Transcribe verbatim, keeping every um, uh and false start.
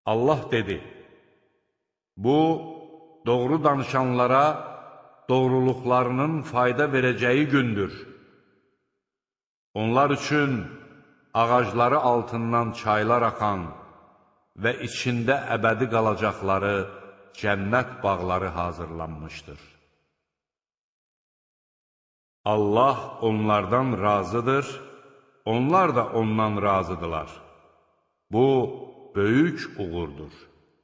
Allah dedi, bu, doğru danışanlara doğruluqlarının fayda verəcəyi gündür. Onlar üçün ağacları altından çaylar axan və içində əbədi qalacaqları cənnət bağları hazırlanmışdır. Allah onlardan razıdır, onlar da ondan razıdırlar. Bu, böyük uğurdur.